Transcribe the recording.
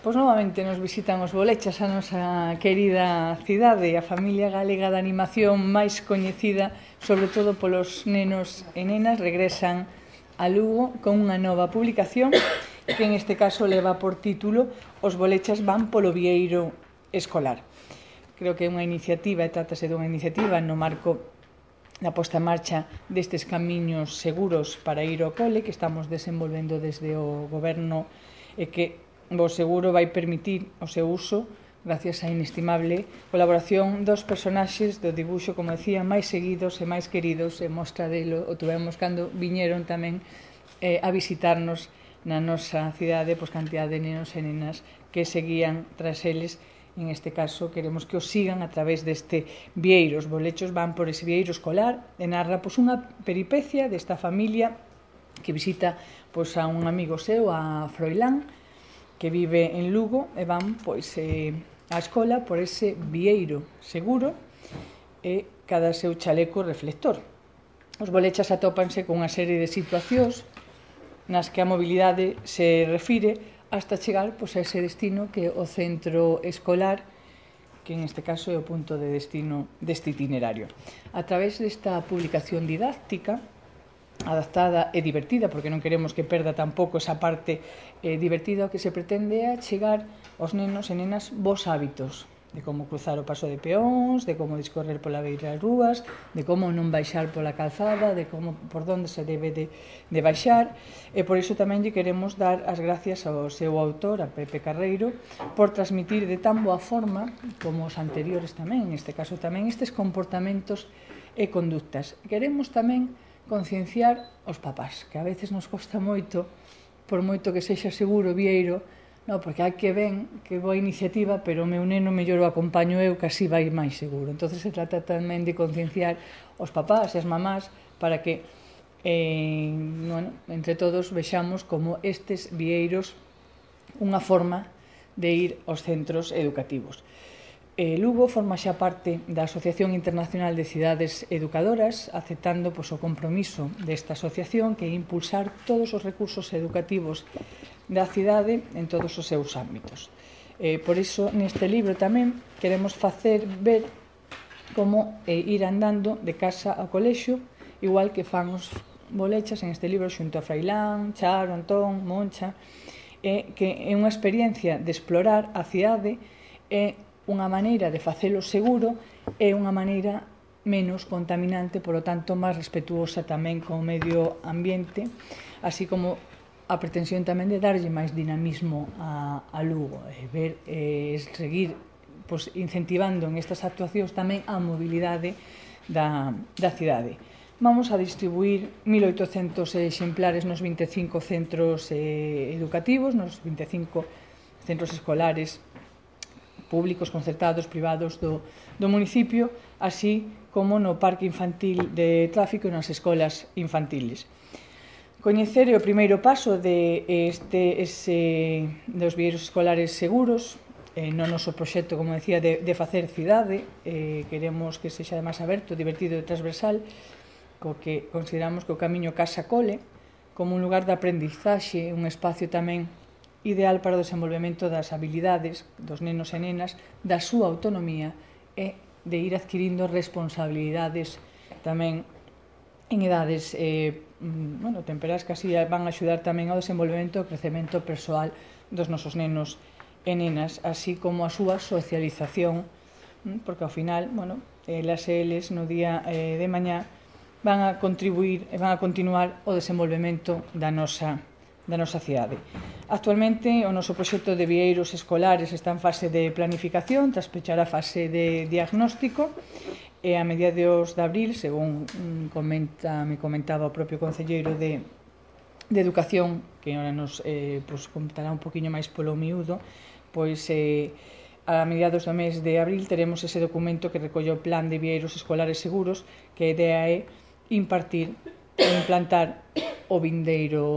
Pois novamente nos visitan os Bolechas, a nosa querida cidade, a familia galega de animación máis coñecida, sobre todo polos nenos e nenas, regresan a Lugo con unha nova publicación que en este caso leva por título Os Bolechas van polo vieiro escolar. Creo que é unha iniciativa, e trátase dunha iniciativa no marco da posta en marcha destes camiños seguros para ir ao cole que estamos desenvolvendo desde o Goberno e que o seguro vai permitir o seu uso gracias á inestimable colaboración dos personaxes do dibuixo, como decía, máis seguidos e máis queridos, e mostra delo o tuvemos cando viñeron tamén a visitarnos na nosa cidade, pois cantidad de nenos e nenas que seguían tras eles. En este caso queremos que os sigan a través deste vieiro. Os Bolechos van por ese vieiro escolar e narra pois unha peripecia desta familia que visita pois a un amigo seu, a Froilán, que vive en Lugo, e van pois á escola por ese vieiro seguro e cada seu chaleco reflector. Os Bolechas atópanse con unha serie de situacións nas que a mobilidade se refire hasta chegar pois, a ese destino que é o centro escolar, que en este caso é o punto de destino deste itinerario. A través desta publicación didáctica, adaptada e divertida, porque non queremos que perda tampouco esa parte divertida, o que se pretende é chegar aos nenos e nenas bons hábitos, de como cruzar o paso de peóns, de como discorrer pola beira das rúas, de como non baixar pola calzada, de como por onde se debe de baixar, e por iso tamén lle queremos dar as gracias ao seu autor, a Pepe Carreiro, por transmitir de tan boa forma, como os anteriores tamén, neste caso tamén, estes comportamentos e conductas. Queremos tamén concienciar os papás, que a veces nos costa moito, por moito que sexa seguro o vieiro, no, porque hai que ven que boa iniciativa, pero o meu neno mellor o acompaño eu, que así vai máis seguro. Entón se trata tamén de concienciar os papás e as mamás para que bueno, entre todos vexamos como estes vieiros unha forma de ir aos centros educativos. Lugo forma xa parte da Asociación Internacional de Cidades Educadoras, aceptando pois, o compromiso desta asociación que é impulsar todos os recursos educativos da cidade en todos os seus ámbitos. Por iso, neste libro tamén queremos facer ver como ir andando de casa ao colexio, igual que fan os Bolechas en este libro xunto a Froilán, Charo, Antón, Moncha, que é unha experiencia de explorar a cidade e unha maneira de facelo seguro e unha maneira menos contaminante, polo tanto, máis respetuosa tamén co medio ambiente, así como a pretensión tamén de darlle máis dinamismo a Lugo, e ver, seguir pois, incentivando en estas actuacións tamén a mobilidade da cidade. Vamos a distribuir 1.800 exemplares nos 25 centros educativos, nos 25 centros escolares públicos, concertados, privados do municipio, así como no parque infantil de tráfico e nas escolas infantiles. Coñecer é o primeiro paso dos vieiros escolares seguros, no noso proxecto, como decía, de facer cidade. Queremos que sexa máis aberto, divertido e transversal, co que consideramos que o camiño casa-cole como un lugar de aprendizaxe, un espacio tamén ideal para o desenvolvemento das habilidades dos nenos e nenas, da súa autonomía e de ir adquirindo responsabilidades tamén en edades temperás que así van a axudar tamén ao desenvolvemento e ao crecemento persoal dos nosos nenos e nenas, así como a súa socialización, porque ao final, elas e eles no día de mañá van a contribuir e van a continuar o desenvolvemento da nosa cidade. Actualmente, o noso proxecto de vieiros escolares está en fase de planificación, tras pechar a fase de diagnóstico, e a mediados de abril, según me comentaba o propio concelleiro de Educación, que ahora nos comentará un poquinho máis polo miúdo, pois a mediados do mes de abril teremos ese documento que recolle o plan de vieiros escolares seguros, que a idea é impartir e implantar o vindeiro